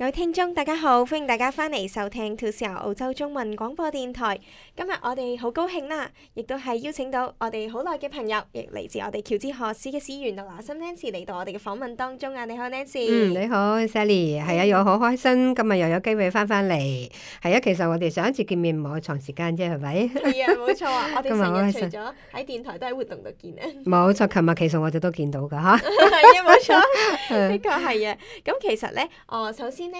位聽眾大家好，歡迎大家翻嚟收聽 2CR 澳洲中文廣播電台。今日我哋好高興啦，亦都係邀請到我哋好耐嘅朋友，亦嚟自我哋喬治河市嘅市員劉拿森 Nancy 嚟到我哋嘅訪問當中啊！你好 Nancy。你好 Sally， 係啊，又好開心，今日又有機會翻嚟。係啊，其實我哋上一次見面唔係好長時間啫，係咪？係啊，冇錯啊，我哋成日除咗喺電台都喺活動度見啊。冇錯，琴日其實我哋都見到㗎嚇。係啊，冇錯，的確係啊。咁其實咧，首先咧，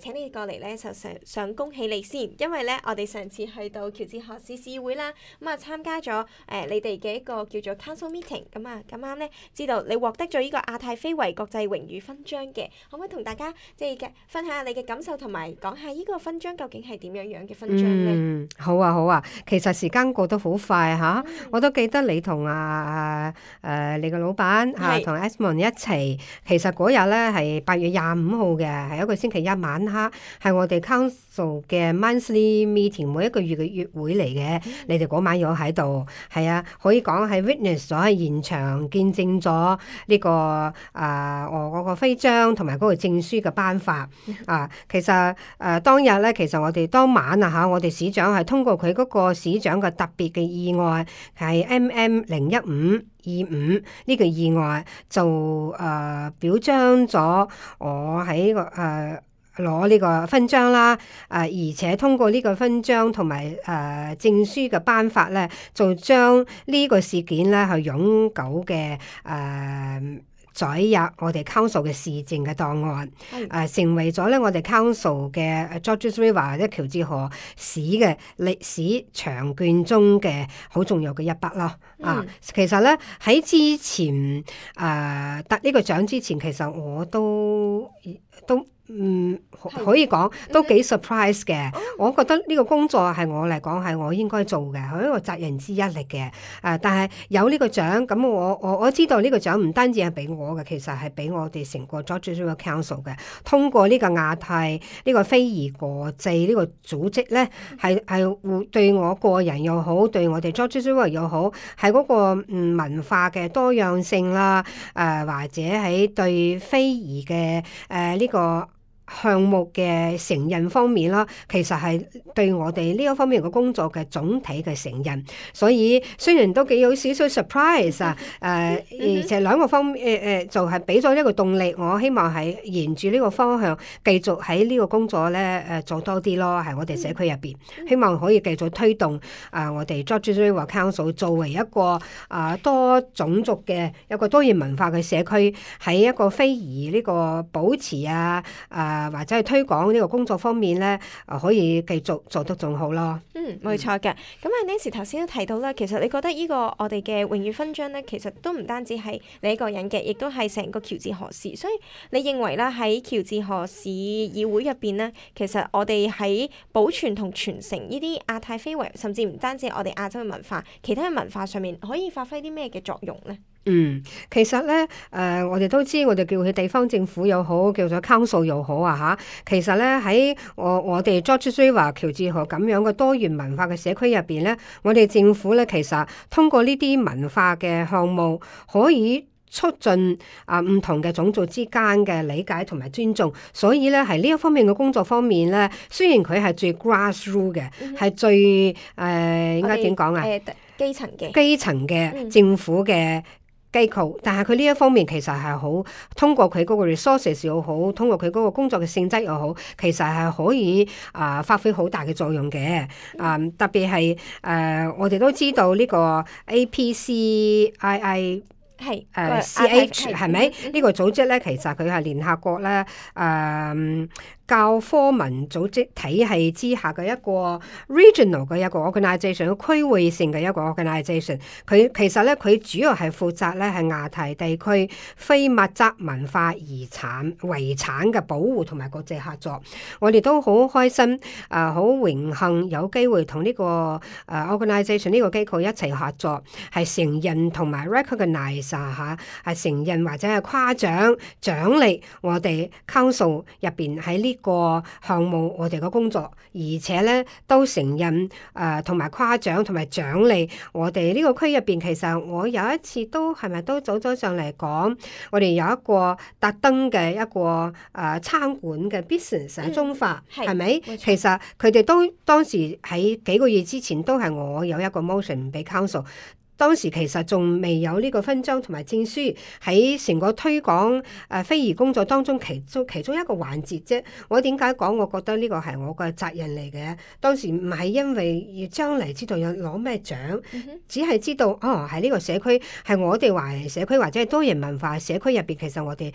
請你過嚟咧，就想恭喜你先，因為咧，我哋上次去到喬治河市市會啦，咁啊參加咗你哋嘅一個叫做 Council Meeting，咁啊咁啱咧，知道你獲得咗呢個亞太非遺國際榮譽勳章嘅，可唔可以同大家即係分享下你嘅感受，同埋講下呢個勳章究竟係點樣嘅勳章咧？好啊好啊，其實時間過得好快嚇，我都記得你同你個老闆嚇同 Esmond 一齊，其實嗰日咧係8月25號嘅，係一個星期一晚黑，係我哋 Council 嘅 Monthly Meeting， 每一個月嘅月會嚟嘅。你哋嗰晚有喺度，係啊，可以講係 witness 咗喺現場見證咗呢個我嗰個徽章同埋嗰個證書嘅頒發啊。其實當日咧，其實我哋當晚啊嚇，我哋市長係通過佢嗰個市長嘅特別嘅意外，係 MM01525呢個意外就表彰咗我喺個攞呢個勳章啦，而且通過呢個勳章同埋證書嘅頒發咧，就將呢個事件咧係永久嘅載入我哋 Council 嘅市政嘅檔案，成為咗咧我哋 Council 嘅 Georges River 或者喬治河市嘅歷史長卷中嘅好重要嘅一筆咯。其實咧喺之前得呢個獎之前，其實我都可以講都幾 surprise 嘅。我覺得呢個工作係我嚟講係我應該做嘅，係一個責任之一嚟嘅。但係有呢個獎，咁我知道呢個獎唔單止係俾我嘅，其實係俾我哋成個 Georges River Council 嘅。通過呢個亞太呢個非遺國際呢個組織咧，係會對我個人又好，對我哋 Georges River 又好，係嗰個文化嘅多樣性啦，或者喺對非遺嘅呢個項目嘅承認方面啦，其實係對我哋呢一方面嘅工作嘅總體嘅承認，所以雖然都幾有少少 surprise 而且兩個方面就係俾咗一個動力，我希望係沿住呢個方向繼續喺呢個工作咧做多啲咯，喺我哋社區入邊，希望可以繼續推動我哋 Georges River Council 作為一個多種族嘅一個多元文化嘅社區，喺一個非遺呢個保持或者係推廣呢個工作方面咧，可以繼續做得仲好咯。冇錯嘅。咁Nancy 頭先都提到啦，其實你覺得呢個我哋嘅榮譽勳章咧，其實都唔單止係你一個人嘅，亦都係成個喬治河市。所以你認為啦，喺喬治河市議會入邊咧，其實我哋喺保存同傳承呢啲亞太非遺，甚至唔單止我哋亞洲嘅文化，其他嘅文化上面可以發揮啲咩嘅作用咧？其實咧，我哋都知，我哋叫佢地方政府又好，叫做 Council 又好嚇。其實咧喺我哋 Georges River 喬治河咁樣嘅多元文化嘅社區入邊咧，我哋政府咧其實通過呢啲文化嘅項目，可以促進唔同嘅種族之間嘅理解同埋尊重。所以咧係呢一方面嘅工作方面咧，雖然佢係最 grassroot 嘅，係最應該點講啊？基層嘅政府嘅機構，但係佢呢一方面其實係好通過佢嗰個 resources 又好，通過佢嗰個工作嘅性質又好，其實係可以發揮好大嘅作用嘅。特別係我哋都知道呢個 APCII 係CH 係咪呢個組織咧？其實佢係聯合國咧教科文組織體系之下嘅一個 regional 嘅一個 organisation， 區域性嘅一個 organisation。佢其實咧，佢主要係負責咧係亞太地區非物質文化遺產嘅保護同埋國際合作。我哋都好開心，好榮幸有機會同呢個organisation 呢個機構一齊合作，係承認同埋 recognize 係承認或者係誇獎獎勵我哋 council 入邊喺呢個項目我哋嘅工作，而且咧都承認同埋誇獎同埋獎勵我哋呢個區入邊。其實我有一次都係咪都走咗上嚟講，我哋有一個特登嘅一個餐館嘅 business 喺中化，係咪？其實佢哋都當時喺幾個月之前都係我有一個 motion 俾 council。當時其實仲未有呢個勳章同埋證書，喺成個推廣非遺工作當中其中一個環節啫。我點解講？我覺得呢個係我個責任嚟嘅。當時唔係因為要將嚟知道有攞咩獎，只係知道喺呢個社區係我哋華人社區或者係多元文化社區入邊，其實我哋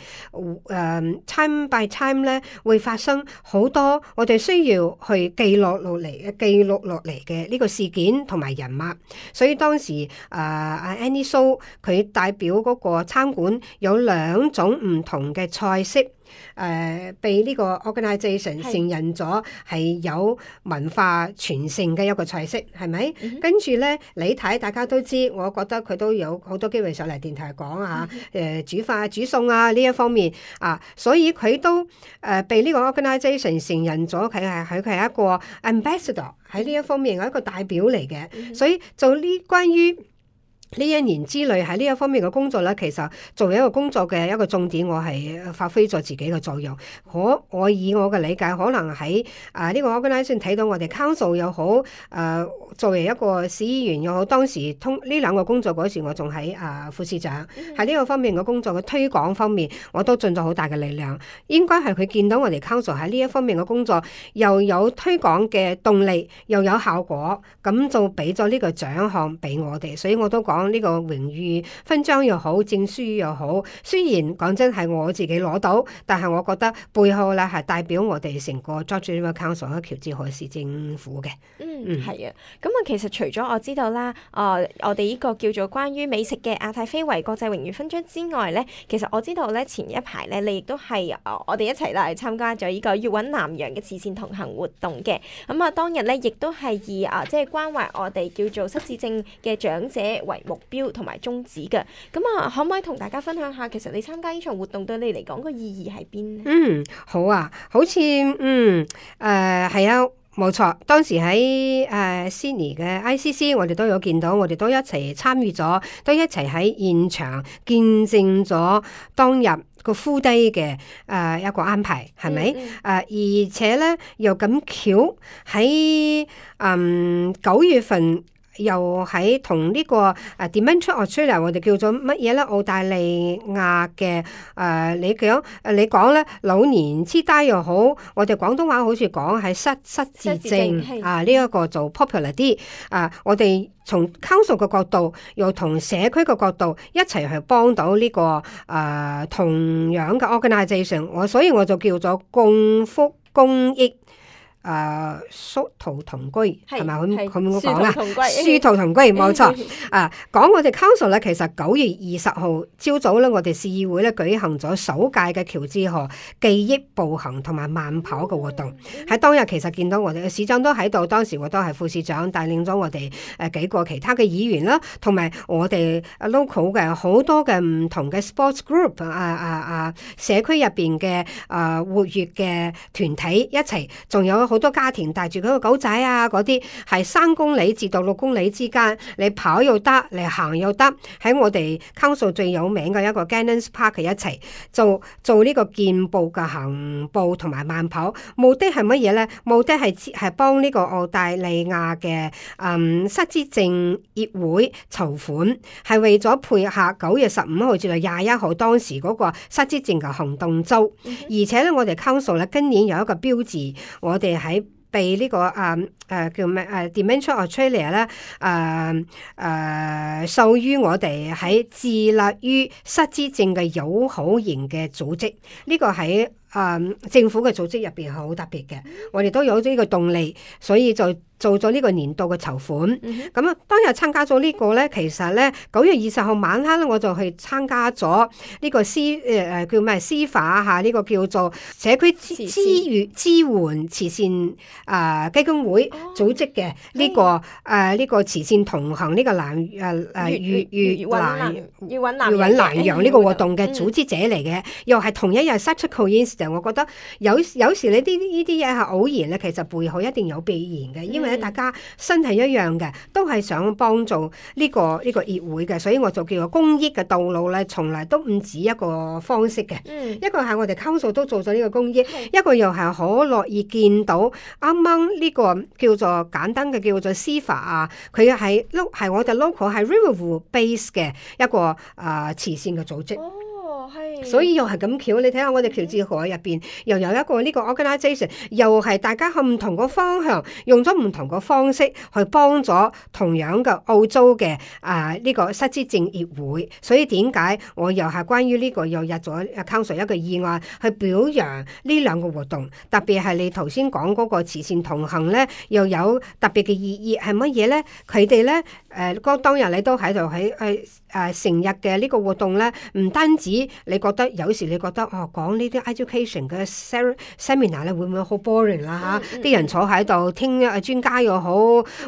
time by time 咧會發生好多我哋需要去記錄落嚟嘅呢個事件同埋人物，所以當時。Annie So 佢代表嗰個餐館有2種唔同嘅菜式，被呢個 organisation 承認咗係有文化傳承嘅一個菜式，係咪？跟住咧，你睇大家都知，我覺得佢都有好多機會上嚟電台講煮飯煮餸啊呢一方面所以佢都被呢個 organisation 承認咗，佢係一個 ambassador 喺呢一方面係一個代表嚟嘅，所以做呢關於呢1年之內喺呢一方面嘅工作咧，其實作為一個工作嘅一個重點，我係發揮咗自己嘅作用。我以我嘅理解，可能喺呢個 organisation 睇到我哋 council 又好，作為一個市議員又好，當時呢2個工作嗰時，我仲喺副市長喺呢個方面嘅工作嘅推廣方面，我都盡咗好大嘅力量。應該係佢見到我哋 council 喺呢一方面嘅工作又有推廣嘅動力，又有效果，咁就俾咗呢個獎項俾我哋。所以我都講。呢個榮譽勳章又好，證書又好，雖然講真係我自己攞到，但係我覺得背後咧係代表我哋成個 George River Council 嘅喬治河市政府嘅。係啊。咁其實除咗我知道啦，我哋呢個叫做關於美食嘅亞太非遺國際榮譽勳章之外咧，其實我知道咧前一排咧，你亦都係我哋一齊嚟參加咗呢個粵韻南洋嘅慈善同行活動嘅。咁當日咧亦都係以即係關懷我哋叫做失智症嘅長者為目標同埋宗旨嘅，咁可唔可以同大家分享下，其實你參加呢場活動對你嚟講個意義喺邊咧？好啊，好似係啊，冇錯。當時喺Sydney 嘅 ICC， 我哋都有見到，我哋都一齊參與咗，都一齊喺現場見證咗當日個full day嘅一個安排，係咪？而且咧又咁巧喺9月份。又喺同呢個Dementia Australia， 我哋叫做乜嘢咧？澳大利亞嘅你講咧老年痴呆又好，我哋廣東話好似講係失智症呢一個做 popular 啲我哋從 council 嘅角度，又同社區嘅角度一齊去幫到呢個同樣嘅 organisation， 所以我就叫做共福公益。殊途同歸係咪咁講啊？殊途同歸冇錯講我哋 council 咧，其實9月20號朝早咧，我哋市議會咧舉行咗首屆嘅喬治河記憶步行同埋慢跑嘅活動。喺當日其實見到我哋嘅市長都喺度，當時我都係副市長帶領咗我哋幾個其他嘅議員啦，同埋我哋 local 嘅好多嘅唔同嘅 sports group 社區入邊嘅活躍嘅團體一齊，仲有好多家庭帶住嗰個狗仔嗰啲，係3公里至到6公里之間，你跑又得，你行又得，喺我哋 council 最有名嘅一個 Gannons Park 一齊做呢個健步嘅行步同埋慢跑。目的係乜嘢咧？目的係幫呢個澳大利亞嘅失智症協會籌款，係為咗配合9月15號至到21號當時嗰個失智症嘅行動周。而且咧，我哋 council 咧今年有一個標誌，我哋喺被呢個叫咩Dementia Australia 咧授予我哋喺致力於失智症嘅友好型嘅組織，呢個喺政府嘅組織入邊係好特別嘅。我哋都有呢個動力，所以就做咗呢個年度嘅籌款。咁當日參加咗呢個咧，其實咧9月20號晚黑咧，我就去參加咗呢個叫咩司法呢個叫做社區支援慈善基金會組織嘅呢個慈善同行呢個粵韻南洋呢個活動嘅組織者嚟嘅，又係同一日 such a coincidence。嘅。我覺得有時你呢啲嘢係偶然咧，其實背後一定有必然嘅，因為咧大家身係一樣嘅，都係想幫助呢個協會嘅，所以我就叫做公益嘅道路咧，從來都唔止一個方式嘅。一個係我哋 Council 都做咗呢個公益，一個又係好樂意見到啱啱呢個叫做簡單嘅叫做CFA啊，佢係我哋 local 係 Riverview base 嘅一個慈善嘅組織。所以又係咁巧，你睇下我哋喬治河入邊又有一個呢個 organisation， 又係大家向唔同個方向，用咗唔同個方式去幫咗同樣嘅澳洲嘅呢個失智症協會。所以點解我又係關於呢個又入咗 Council 一個議案去表揚呢兩個活動，特別係你頭先講嗰個慈善同行咧，又有特別嘅意義係乜嘢咧？佢哋咧當日你都喺度成日嘅呢個活動咧，唔單止你覺得有時你覺得講呢啲 education 嘅 seminar 咧會唔會好 boring 啦嚇？啲人坐喺度聽專家又好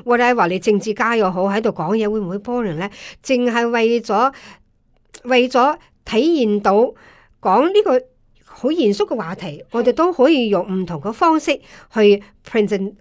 ，whatever 你政治家又好喺度講嘢會唔會 boring 咧？淨係為咗體現到講呢個好嚴肅嘅話題，我哋都可以用唔同嘅方式去 present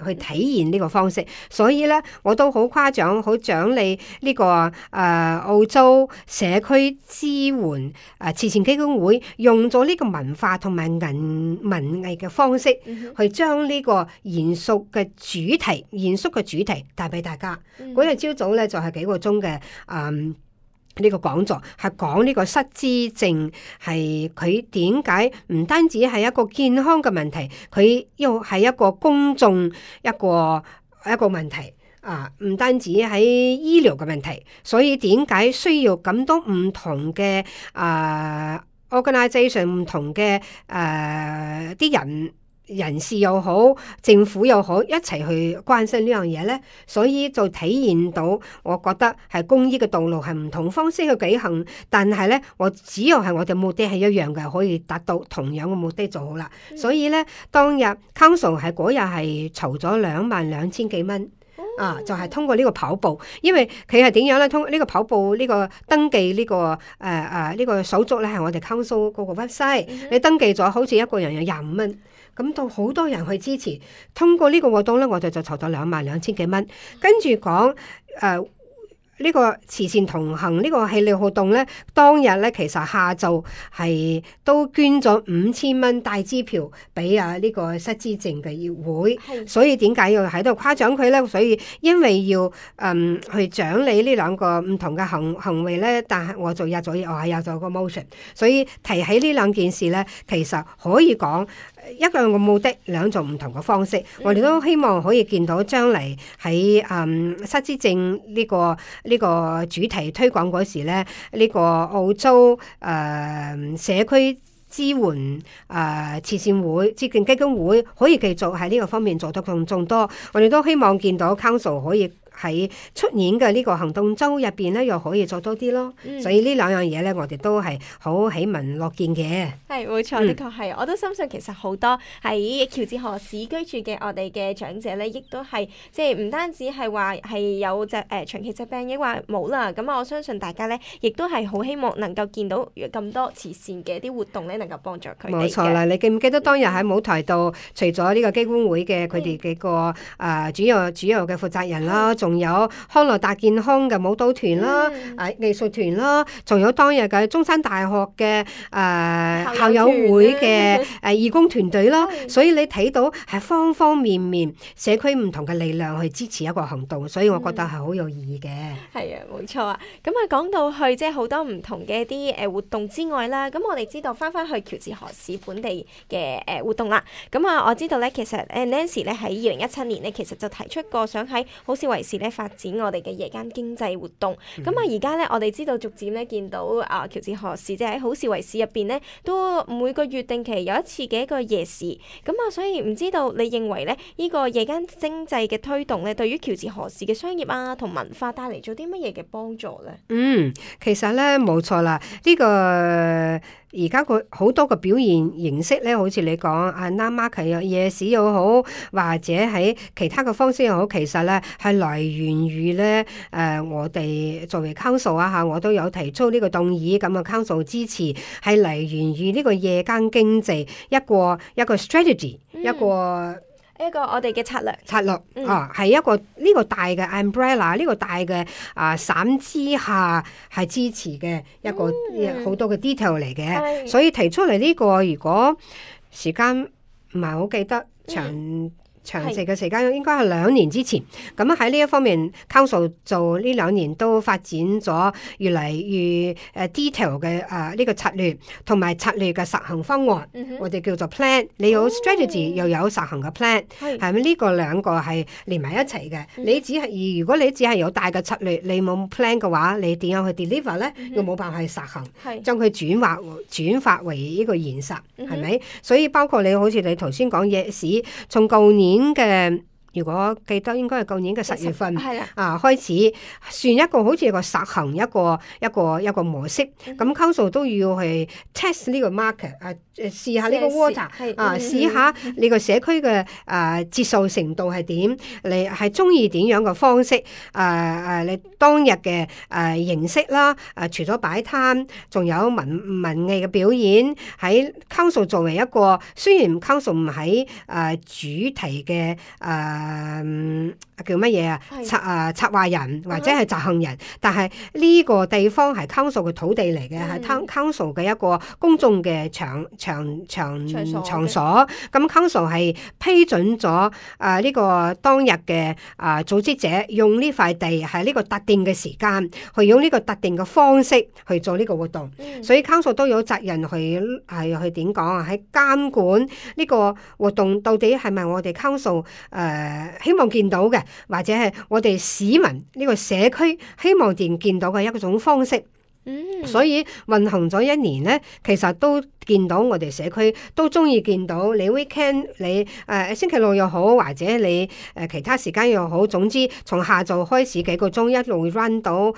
去體現呢個方式。所以咧，我都好誇獎、好獎勵呢個澳洲社區支援慈善基金會用咗呢個文化同埋文藝嘅方式，去將呢個嚴肅嘅主題帶俾大家。嗰日朝早咧就係幾個鐘嘅呢個講座係講呢個失智症係佢點解唔單止係一個健康嘅問題，佢又係一個公眾一個問題唔單止喺醫療嘅問題，所以點解需要咁多唔同嘅organisation 唔同嘅啲人士又好，政府又好，一齊去關心呢樣嘢咧，所以就體現到，我覺得係公益嘅道路係唔同方式去舉行，但係咧，只要係我哋目的係一樣嘅，可以達到同樣嘅目的就好啦。所以咧，當日 Council 係嗰日係籌咗22,000幾蚊。就係通過呢個跑步，因為佢係點樣咧？通過呢個跑步呢個登記呢個呢個手續咧，係我哋 Council 嗰個 website，你登記咗，好似一個人有25蚊，咁到好多人去支持。通過呢個活動咧，我哋就籌到22,000幾蚊。跟住講呢個慈善同行呢個系列活動咧，當日咧其實下晝係都捐咗5,000蚊大支票俾呢個失智症嘅協會，所以點解要喺度誇獎佢咧？所以因為要去獎勵呢兩個唔同嘅行為咧，但係我就入咗個 motion， 所以提起呢兩件事咧，其實可以講一個嘅目的，兩種唔同嘅方式。我哋都希望可以見到將嚟喺失智症呢個主題推廣嗰時咧，呢個澳洲社區支援慈善會、基金會可以繼續喺呢個方面做得更多。我哋都希望見到 Council 可以喺出年嘅呢個行動週入邊咧，又可以做多啲咯。所以呢兩樣嘢咧，我哋都係好喜聞樂見嘅。係冇錯，的確係。我都深信其實好多喺喬治河市居住嘅我哋嘅長者咧，亦都係即係唔單止係話係有長期疾病，抑或冇啦。咁我相信大家咧，亦都係好希望能夠見到咁多慈善嘅一啲活動咧，能夠幫助佢哋嘅。冇錯啦！你記唔記得當日喺舞台度，除咗呢個基金會嘅佢哋幾個主要嘅負責人啦，仲有康樂大健康嘅舞蹈團啦、藝術團啦，仲有當日嘅中山大學嘅校友會嘅義工團隊啦。所以你睇到係方方面面社區唔同嘅力量去支持一個行動，所以我覺得係好有意義嘅。係啊，冇錯啊。咁講到去即係好多唔同嘅一啲活動之外啦，咁我哋知道翻去喬治河市本地嘅活動啦。咁我知道咧，其實Nancy 咧喺2017年咧，其實就提出過想喺好市圍市咧發展我哋嘅夜間經濟活動。咁而家咧，我哋知道逐漸咧見到喬治河市即係喺好市圍市入邊咧，都每個月定期有一次嘅一個夜市。咁所以唔知道你認為咧呢個夜間經濟嘅推動咧，對於喬治河市嘅商業同文化帶嚟咗啲乜嘢嘅幫助咧？其實咧冇錯啦，呢個而家個好多個表現形式咧，好似你講啊 night market 啊夜市又好，或者喺其他嘅方式又好，其實咧係來源於咧我哋作為 council 啊嚇，我都有提出呢個動議，咁啊 council 支持係嚟源於呢個夜間經濟一個 strategy、一個我哋嘅策略係一個呢個大嘅 umbrella 呢個大嘅傘之下係支持嘅一個好多嘅 detail 嚟嘅，所以提出嚟呢個如果時間唔係好記得詳細嘅時間應該係2年之前，咁喺呢一方面 Council 做呢2年都發展咗越嚟越detail 嘅呢個策略同埋策略嘅實行方案，我哋叫做 plan。你有 strategy 又有實行嘅 plan， 係咪呢個兩個係連埋一齊嘅？如果你只係有大嘅策略，你冇 plan 嘅話，你點樣去 deliver 咧？又冇辦法去實行，將佢轉化為呢個現實，係咪？所以包括你好似你頭先講夜市，從舊年嘅，如果記得應該係舊年嘅10月份開始算一個好似一個實行一個模式，咁 Council 都要去 test 呢個 market 試下呢個 water 試下呢個社區嘅接受程度係點，你係中意點樣嘅方式你當日嘅形式啦，除咗擺攤，仲有文藝嘅表演喺 Council 作為一個，雖然 Council 唔喺主題嘅叫乜嘢策劃人或者係執行人，但係呢個地方係 Council 嘅土地嚟嘅，係 Council 嘅一個公眾嘅場所。咁 Council 係批准咗呢個當日嘅組織者用呢塊地係呢個特定嘅時間，去用呢個特定嘅方式去做呢個活動。所以 Council 都有責任去點講啊？喺監管呢個活動到底係咪我哋 Council 希望見到嘅，或者係我哋市民呢個社區希望見到嘅一種方式。所以運行咗1年咧，其實都見到我哋社區都中意見到你 weekend 你星期六又好，或者你其他時間又好，總之從下晝開始幾個鐘一路 run 到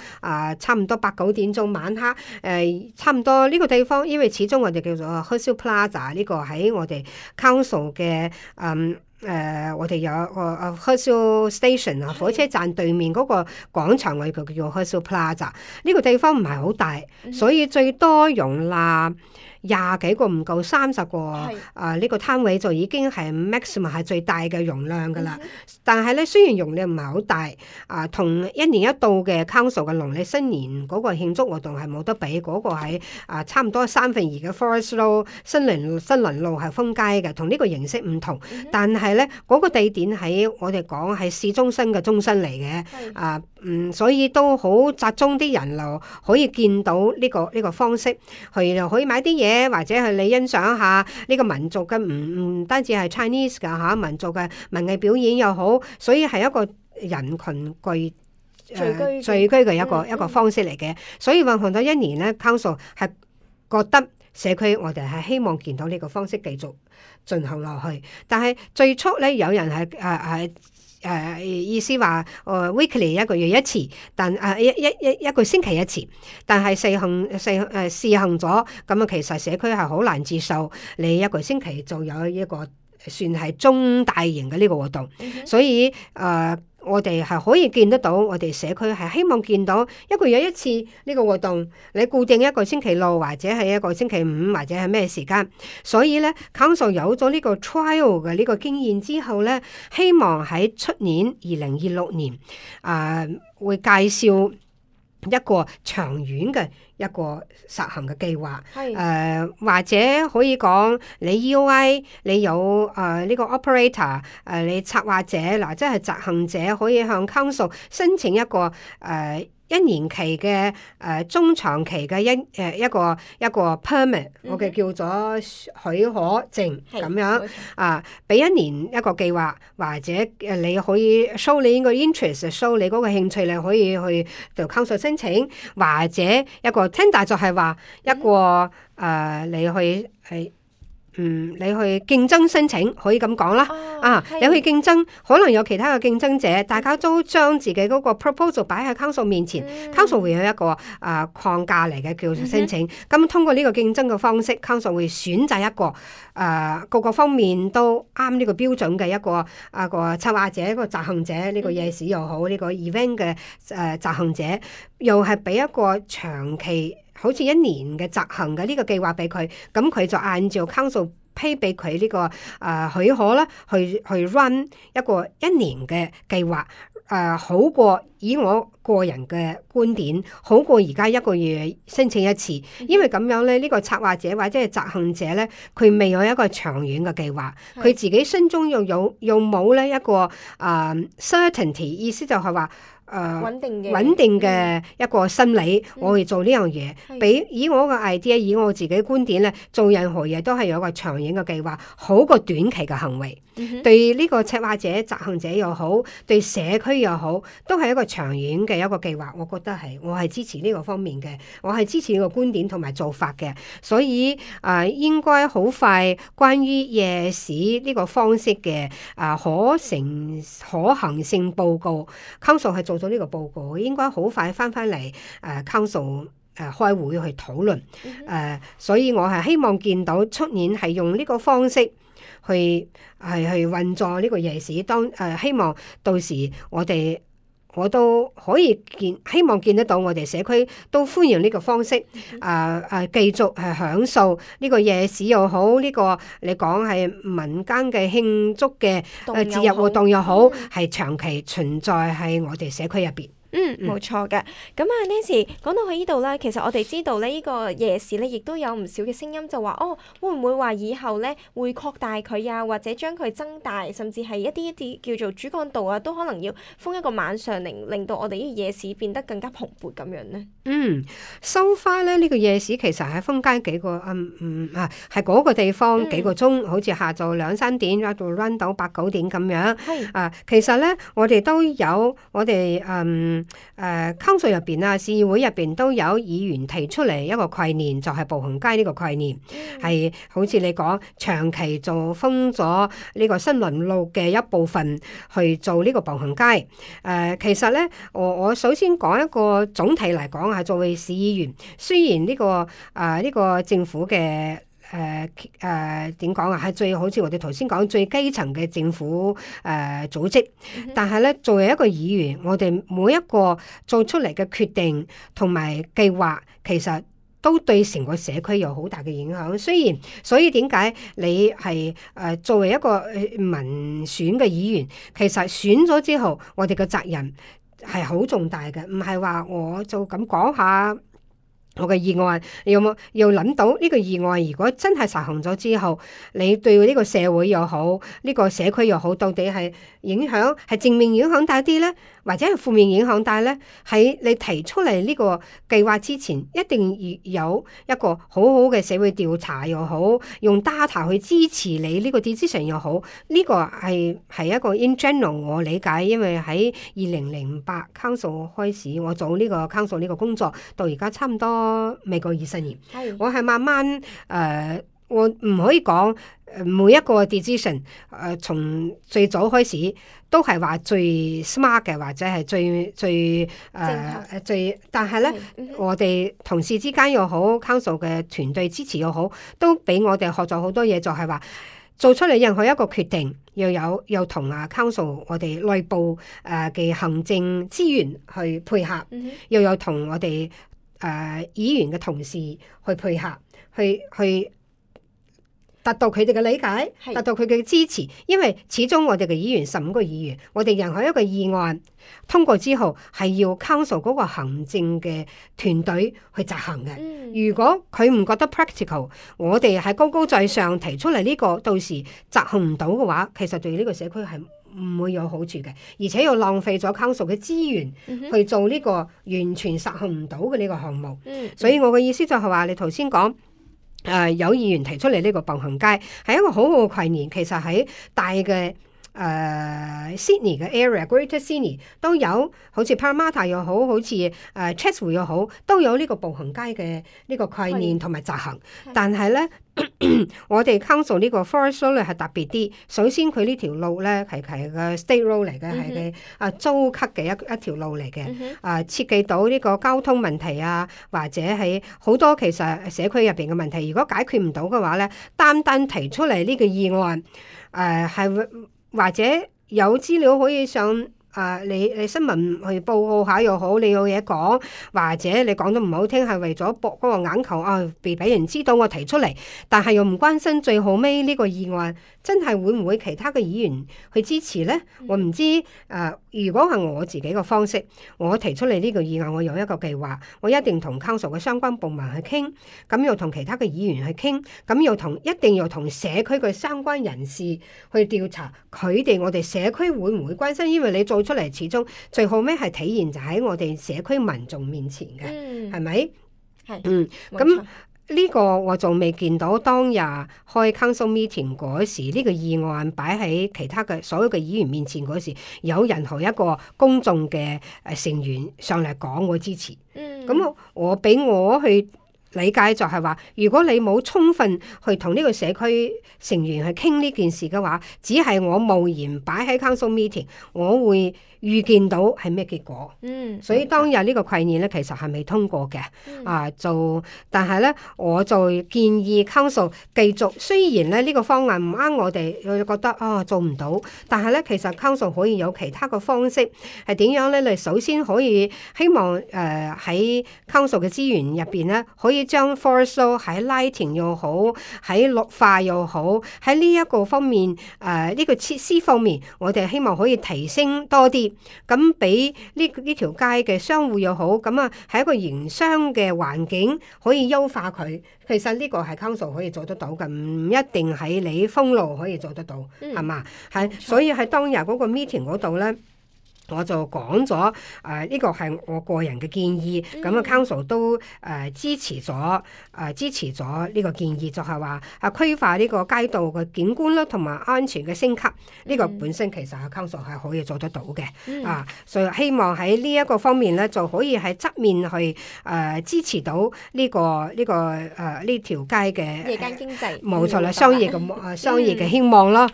差唔多8、9點鐘晚黑差唔多呢個地方，因為始終我哋叫做 Hurstville Plaza 呢個喺我哋 Council 嘅我哋有個Hurstville Station 火車站對面嗰個廣場，我哋叫 Hurstville Plaza。呢個地方唔係好大，所以最多容納20幾個唔夠30個呢個攤位就已經係 maximum 係最大嘅容量噶啦。但係咧，雖然容量唔係好大同1年一度嘅 Council 嘅農曆新年嗰個慶祝活動係冇得比。嗰個係差唔多2/3嘅 Forest Road 新倫路係封街嘅，同呢個形式唔同。但係咧，嗰個地點喺我哋講係市中心嘅中心嚟嘅所以都好集中啲人流，可以見到呢個方式，又可以買啲嘢，或者係你欣賞下呢個民族嘅唔單止係 Chinese 㗎民族嘅文藝表演又好，所以係一個人群聚居嘅一個方式嚟嘅。所以運行咗1年咧 ，Council 係覺得社區我哋係希望見到呢個方式繼續進行落去。但係最初咧，有人係意思話weekly 1個月1次，但一個星期1次，但係試行咗，咁其實社區係好難接受你1個星期就有一個算係中大型嘅呢個活動，所以我哋係可以見得到，我哋社區係希望見到1個月1次呢個活動，你固定1個星期6或者係1個星期5或者係咩時間。所以咧 Council 有咗呢個 trial 嘅呢個經驗之後咧，希望喺出年2026年會介紹一個長遠嘅一個實行嘅計劃，或者可以講你 EOI 你有呢個 operator 你策劃者即係執行者可以向 Council 申請一個1年期嘅中長期嘅一個 permit，我嘅叫做許可證咁樣俾1年一個計劃，或者你可以 show 你個 interest，show 你嗰個興趣，你可以去到 Council 申請，或者一個 tender 就係話一個你去你去競爭申請，可以咁講啦。你係去競爭，可能有其他嘅競爭者，大家都將自己嗰個 proposal 擺喺 council 面前，council 會有一個框架嚟嘅叫做申請。咁通過呢個競爭嘅方式，council 會選擇一個各個方面都啱呢個標準嘅一個策劃者、一個執行者，呢個夜市又好，呢個 event 嘅執行者，又係俾一個長期好似1年嘅執行嘅呢個計劃俾佢，咁佢就按照 council 批俾佢呢個許可啦，去 run 一個1年嘅計劃，好過以我個人嘅觀點，好過而家1個月申請一次，因為咁樣咧，呢個策劃者或者係執行者咧，佢未有一個長遠嘅計劃，佢自己心中又冇咧一個certainty， 意思就係話穩定嘅一個心理，我去做呢樣嘢。比以我嘅 idea， 以我自己觀點咧，做任何嘢都係有一個長遠嘅計劃，好過短期嘅行為。對呢個策劃者、執行者又好，對社區又好，都係一個長遠嘅一個計劃。我覺得我係支持呢個方面嘅，我係支持呢個觀點同埋做法嘅。所以應該好快，關於夜市呢個方式嘅可行性報告 ，Council 係做咗呢個報告，應該好快翻嚟Council 開會去討論。所以我係希望見到出年係用呢個方式去運作呢個夜市，希望到時我都可以希望見得到我哋社區都歡迎呢個方式，繼續係享受呢個夜市又好，呢個你講係民間嘅慶祝嘅節日活動又好，係長期存在喺我哋社區入邊。冇錯嘅。咁Nancy 講到去呢度咧，其實我哋知道咧，呢個夜市咧，亦都有唔少嘅聲音就話，會唔會話以後咧會擴大佢啊，或者將佢增大，甚至係一啲叫做主幹道啊，都可能要封一個晚上，令到我哋呢個夜市變得更加蓬勃咁樣咧。收花咧呢個夜市其實係封街幾個係嗰個地方幾個鐘，好似下晝2-3點一度 run 到8-9點咁樣。其實咧我哋都有我哋Council 入邊市議會入邊都有議員提出嚟一個概念，就係步行街呢個概念，係好似你講長期就封咗呢個新輪路嘅一部分去做呢個步行街。其實咧我首先講一個總體嚟講，係作為市議員，雖然呢個政府嘅點講係最好似我哋頭先講最基層嘅政府組織，但係咧作為一個議員，我哋每一個做出嚟嘅決定同埋計劃，其實都對成個社區有好大嘅影響。所以點解你係作為一個民選嘅議員，其實選咗之後，我哋嘅責任係好重大嘅，唔係話我就咁講下我嘅議案，你有冇要諗到呢個議案如果真係實行咗之後，你對呢個社會又好，呢個社區又好，到底係影響係正面影響大啲咧，或者係負面影響大咧？喺你提出嚟呢個計劃之前，一定要有一個好好嘅社會調查又好，用 data 去支持你呢個 decision 又好，呢個係一個 in general 我理解，因為喺2008 Council 開始我做呢個 Council 呢個工作，到而家差唔多未過20年，我係慢慢我唔可以講每一個 decision 從最早開始都係話最 smart 嘅，或者係最但係咧我哋同事之間又好，Council 嘅團隊支持又好，都俾我哋學咗好多嘢，就係話做出嚟任何一個決定，又同Council 我哋內部嘅行政資源去配合，又有同我哋議員嘅同事去配合，去達到佢哋嘅理解，達到佢嘅支持。因為始終我哋嘅議員15個議員，我哋任何一個議案通過之後，係要 Council 嗰個行政嘅團隊去執行嘅。如果佢唔覺得 practical， 我哋係高高在上提出嚟呢個，到時執行唔到嘅話，其實對呢個社區係唔會有好處嘅，而且又浪費咗 Council 嘅資源去做呢個完全實行唔到嘅呢個項目。所以我嘅意思就係話，你頭先講有議員提出嚟呢個步行街係一個好好嘅概念，其實喺大嘅 Sydney 嘅 area，Greater Sydney 都有，好似 Parramatta 又好，好似Chatswood 又好，都有呢個步行街嘅呢個概念同埋執行。但係咧，我哋 Council 呢個 Forest Road 咧係特別啲。首先佢呢條路咧係個 State Road 嚟嘅，係嘅租級嘅一條路嚟嘅。設計到呢個交通問題啊，或者係好多其實社區入邊嘅問題，如果解決唔到嘅話咧，單單提出嚟呢個議案，係或者有資料可以上你新聞去報告下又好，你有嘢講，或者你講得唔好聽，係為咗博嗰個眼球俾人知道我提出嚟，但係又唔關心最後尾呢個議案真係會唔會其他嘅議員去支持呢？我唔知如果係我自己嘅方式，我提出嚟呢個議案，我有一個計劃，我一定同 Council 嘅相關部門去傾，咁又同其他嘅議員去傾，咁又一定要同社區嘅相關人士去調查佢哋，我哋社區會唔會關心？因為你做出嚟，始終最後尾係體現就喺我哋社區民眾面前嘅，係咪？係，咁呢個我仲未見到當日開 Council meeting 嗰時，呢個議案擺喺其他嘅所有嘅議員面前嗰時，有任何一個公眾嘅成員上嚟講我支持。咁我俾我去理解就係話，如果你冇充分去同呢個社區成員去傾呢件事嘅話，只係我無言擺喺 Council meeting， 我會預見到係咩結果。所以當日呢個概念咧，其實係未通過嘅。但係咧，我就建議 Council 繼續。雖然咧呢個方案唔啱我哋，我覺得做唔到，但係咧其實 Council 可以有其他嘅方式係點樣咧？你首先可以希望喺 Council 嘅資源入邊咧，可以將 Forest Road 喺 lighting 又好，喺綠化又好，喺呢一個方面呢個設施方面，我哋希望可以提升多啲。咁俾呢條街嘅商戶又好，咁係一個營商嘅環境可以優化佢。其實呢個係 Council 可以做得到嘅，唔一定喺你封路可以做得到，係嘛？所以喺當日嗰個 meeting 嗰度咧，我就講咗呢個係我個人嘅建議，咁Council 都支持咗呢個建議，就係話規劃呢個街道嘅景觀啦，同埋安全嘅升級，呢個本身其實Council係可以做得到嘅。所以希望喺呢一個方面咧，就可以喺側面去支持到呢條街嘅夜間經濟，冇錯啦，商業嘅希望啦。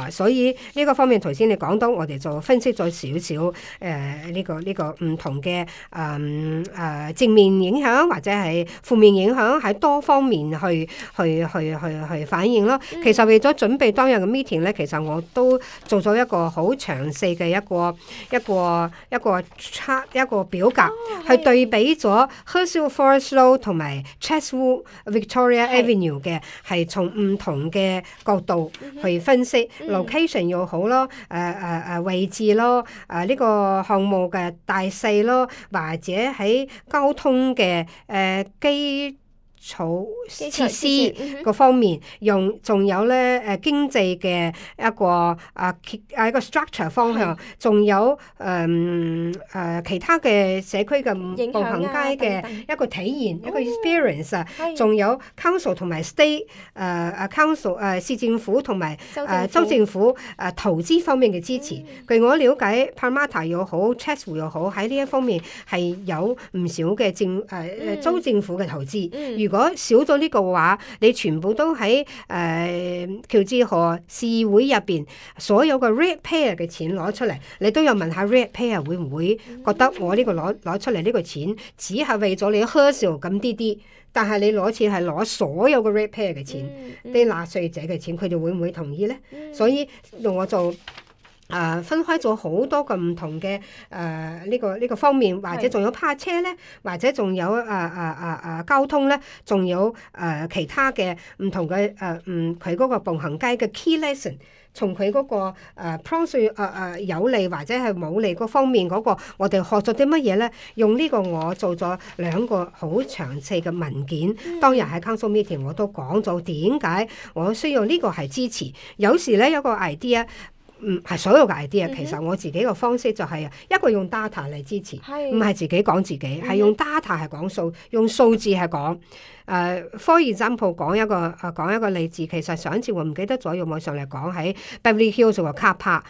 所以呢個方面頭先你講到，我哋就分析咗少少。呢個唔同嘅正面影響或者係負面影響，喺多方面去反映咯。其實為咗準備當日嘅 meeting 咧，其實我都做咗一個好詳細嘅一個表格，去對比咗 Hurstville Forest Road 同埋 Chatswood Victoria Avenue 嘅，係從唔同嘅角度去分析 location 又好咯，位置咯，呢個項目嘅大細咯，或者喺交通嘅基礎設施個方面，仲有咧經濟嘅一個一個 structure 方向，仲有其他嘅社區嘅步行街嘅一個體驗，一個 experience，仲有 council 同埋 state council 市政府同埋州政府投資方面嘅支持。據我了解 Parramatta 又好 Chatswood 又好，喺呢一方面係有唔少嘅州政府嘅投資。如果少咗呢個話，你全部都喺喬治河市議會入邊所有嘅 ratepayer 嘅錢攞出嚟，你都有問下 ratepayer 會唔會覺得我呢個攞出嚟呢個錢只係為咗你 Hurstville 咁啲，但係你攞錢係攞所有嘅 ratepayer 嘅錢，啲納稅者嘅錢，佢哋會唔會同意呢？所以我就分開咗好多個唔同嘅呢個方面，或者仲有泊車咧，或者仲有交通咧，仲有其他嘅唔同嘅佢嗰個步行街嘅 key lesson， 從佢嗰個pros 有利或者係冇利嗰方面嗰個，我哋學咗啲乜嘢咧？用呢個我做咗2個好詳細嘅文件。當日喺 Council meeting 我都講咗點解我需要呢個係支持。有時咧有個 idea。係所有嘅 idea，其實我自己嘅方式就係一個用 data 嚟支持，唔係自己講自己，係用 data 係講數，用數字係講。for example 講一個例子，其實上一次我唔記得咗，用網上嚟講喺 Beverly Hills 個 car park，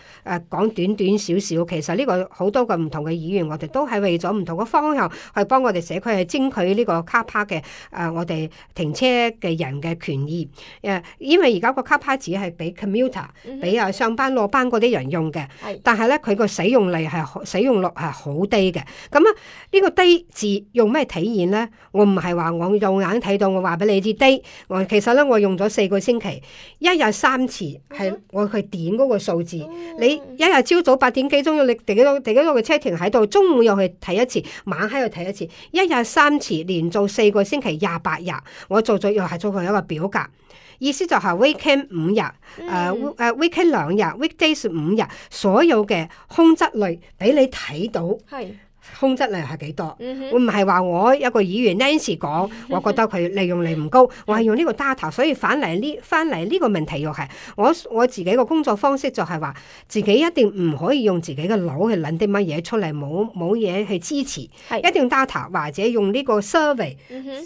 講短短少少，其實呢個好多個唔同嘅議員，我哋都係為咗唔同嘅方向去幫我哋社區去爭取呢個 car park 嘅我哋停車嘅人嘅權益。因為而家個 car park 只係俾 commuter，俾上班落班嗰啲人用嘅，但係咧佢個使用率係好低嘅。咁啊，呢個低字用咩體現咧？我唔係話我用眼睇到，我話俾你知低。其實咧，我用咗4個星期，一日3次，係我去點嗰個數字。你一日朝早8點幾鐘，你第幾多個車停喺度，中午又去睇一次，晚黑又睇一次，一日3次，連做4個星期28日，我又係做過一個表格。意思就係 weekend 5日，weekend 2日，weekdays 5日，所有嘅空質類俾你睇到。空質量係幾多？我唔係話我一個議員 Nancy 講，我覺得佢利用率唔高，我係用呢個 data， 所以翻嚟呢個問題又係我自己個工作方式就係話，自己一定唔可以用自己嘅腦去諗啲乜嘢出嚟，冇嘢去支持，一定 data 或者用呢個 survey，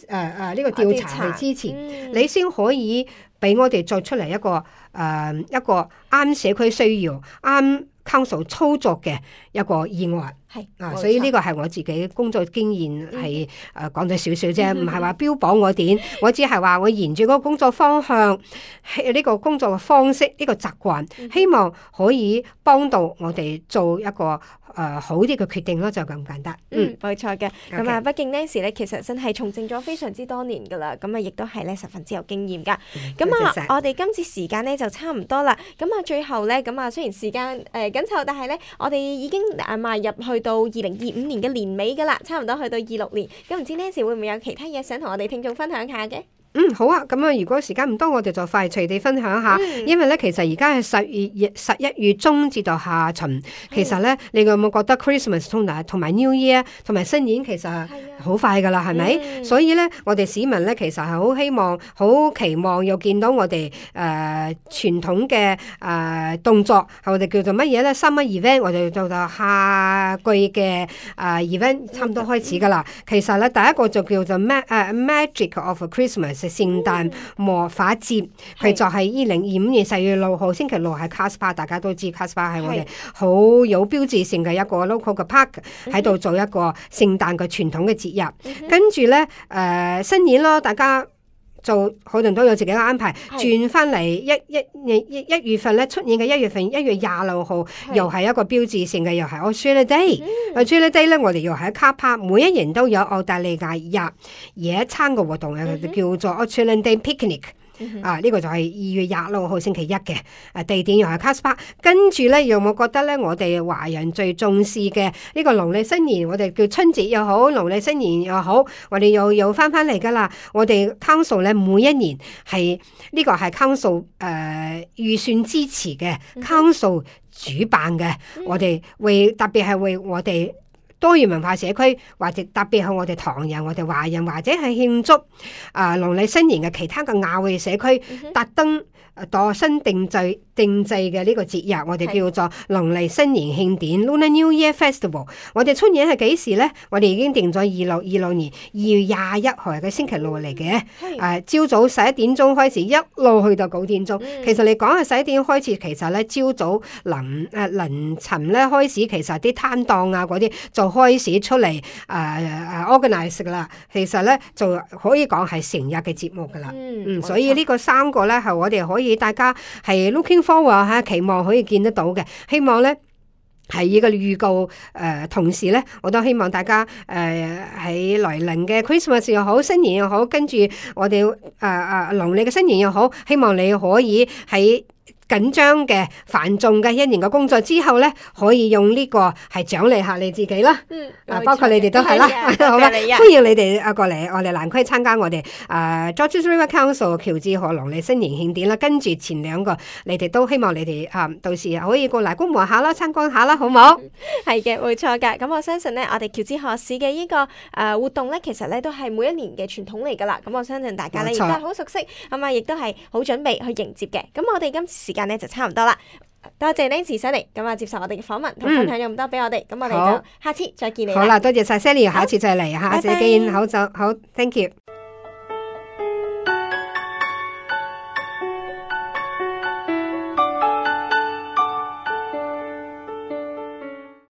呢個調查去支持，你先可以俾我哋作出嚟一個啱社區需要、啱 council 操作嘅一個議案。所以呢個係我自己工作經驗係講咗少少啫，唔係話標榜我點，我只係話我沿住嗰個工作方向，呢個工作嘅方式，呢個習慣，希望可以幫到我哋做一個好啲嘅決定咯，就咁簡單。冇錯嘅。咁啊，畢竟 Nancy 咧，其實真係從政咗非常之多年噶啦，咁啊，亦都係咧十分之有經驗噶。咁我哋今次時間咧就差唔多啦。咁啊，最後咧，咁啊，雖然時間緊湊，但係咧，我哋已經邁入去到2025年嘅年尾噶啦，差唔多去到26年。咁唔知 Nancy 會唔會有其他嘢想同我哋聽眾分享下嘅？好啊，咁啊，如果時間唔多，我哋就快隨地分享下。因為咧，其實而家係11月中至到下旬，其實咧，你有冇覺得 Christmas 同埋 New Year 同埋新年其實好快噶啦，係咪？所以咧，我哋市民咧，其實係好希望、好期望又見到我哋傳統嘅動作，係我哋叫做乜嘢咧 ？Summer event， 我哋叫做夏季嘅event， 差唔多開始噶啦。其實咧，第一個就叫做 Magic of Christmas。聖誕魔法節，佢就係2025年4月6號星期六係 Casper， 大家都知 Casper 係我哋好有標誌性嘅一個 local 嘅 park， 喺度做一個聖誕嘅傳統嘅節日。跟住咧新年咯，大家就可能都有自己嘅安排，轉翻嚟一月份咧，出年嘅1月份1月26號又係一個標誌性嘅，又係 Australia Day。Australia Day 咧，我哋又喺 car park， 每一年都有澳大利亞日野餐嘅活動，叫做 Australia Day Picnic。呢個就係2月26號星期一嘅，地點又係 Casper。跟住咧，有冇覺得咧，我哋華人最重視嘅呢個農曆新年，我哋叫春節又好，農曆新年又好，我哋又翻嚟噶啦。我哋 Council 咧，每一年係呢個係 Council 預算支持嘅，Council 主辦嘅，我哋特別係為我哋多元文化社區，或者特別係我哋唐人、我哋華人，或者係慶祝農曆新年嘅其他嘅亞裔社區，特登度身定制嘅呢個節日，我哋叫做農曆新年慶典 Lunar New Year Festival。我哋出年係幾時咧？我哋已經定咗26年2月21號嘅星期六嚟嘅。朝早11點鐘開始，一路去到9點鐘。其實你講係11點開始，其實咧朝早凌晨咧開始，其實啲攤檔啊嗰啲就開始出嚟organize 噶啦。其實咧就可以講係成日嘅節目噶啦。所以呢個3個咧係我哋可以大家係 looking forward 嚇，期望可以見得到嘅。希望咧係呢個預告同時咧，我都希望大家喺來臨嘅 Christmas 又好，新年又好，跟住我哋農曆嘅新年又好，希望你可以喺緊張嘅繁重嘅1年嘅工作之後咧，可以用呢個係獎勵下你自己啦。包括你哋都係啦，好嘛？歡迎你哋過嚟我哋蘭區參加我哋Georges River Council 喬治河農曆新年慶典啦。跟住前2個，你哋都希望你哋到時可以過嚟觀摩下啦，參觀下啦，好唔好？係嘅，冇錯㗎。咁我相信咧，我哋喬治河市嘅呢個活動咧，其實咧都係每一年嘅傳統嚟㗎啦。咁我相信大家咧亦都係好熟悉，咁啊亦都係好準備去迎接嘅。咁我哋今次時間咧就差唔多啦。多謝 Nancy 上嚟，咁啊接受我哋嘅訪問同分享咗咁多俾我哋，咁我哋好就下次再見你好啦，多謝晒 Sally，下次再嚟，下次拜拜見，好，thank you。